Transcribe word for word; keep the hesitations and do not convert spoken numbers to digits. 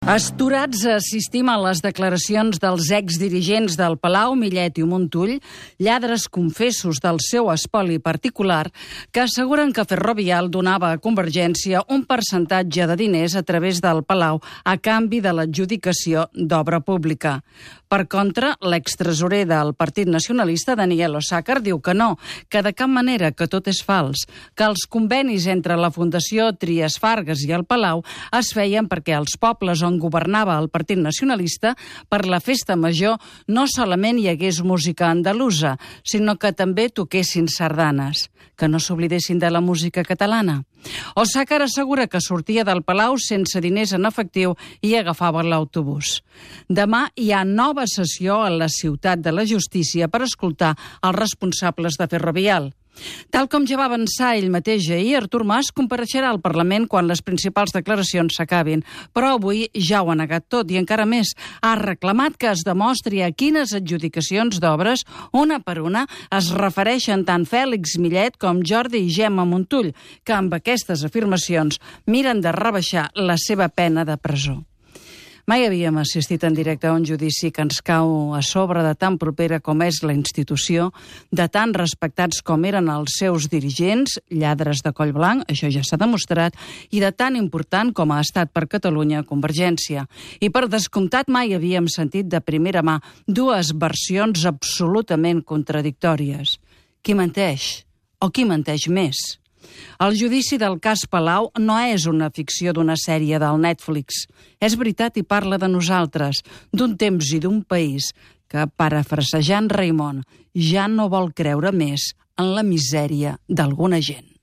Astorats assistim a les declaracions dels exdirigents del Palau, Millet i Montull, lladres confessos del seu espoli particular, que asseguren que Ferrovial donava a Convergència un percentatge de diners a través del Palau a canvi de l'adjudicació d'obra pública. Per contra, l'extresorer del Partit Nacionalista, Daniel Osàcar, diu que no, que de cap manera, que tot és fals, que els convenis entre la Fundació Trias Fargas i el Palau es feien perquè els pobles on governava el Partit Nacionalista, per la festa major no solament hi hagués música andalusa, sinó que també toquessin sardanes, que no s'oblidessin de la música catalana. Osàcar assegura que sortia del Palau sense diners en efectiu i agafava l'autobús. Demà hi ha nova sessió a la Ciutat de la Justícia per escoltar els responsables de Ferrovial. Tal com ja va avançar ell mateix ahir, Artur Mas compareixerà al Parlament quan les principals declaracions s'acabin, però avui ja ho ha negat tot i encara més. Ha reclamat que es demostri a quines adjudicacions d'obres, una per una, es refereixen tant Fèlix Millet com Jordi i Gemma Montull, que amb aquestes afirmacions miren de rebaixar la seva pena de presó. Mai havíem assistit en directe a un judici que ens cau a sobre de tan propera com és la institució, de tan respectats com eren els seus dirigents, lladres de coll blanc, això ja s'ha demostrat, i de tan important com ha estat per Catalunya Convergència. I per descomptat mai havíem sentit de primera mà dues versions absolutament contradictòries. Qui menteix? O qui menteix més? El judici del cas Palau no és una ficció d'una sèrie del Netflix. És veritat i parla de nosaltres, d'un temps i d'un país que, parafrasejant Raimon, ja no vol creure més en la misèria d'alguna gent.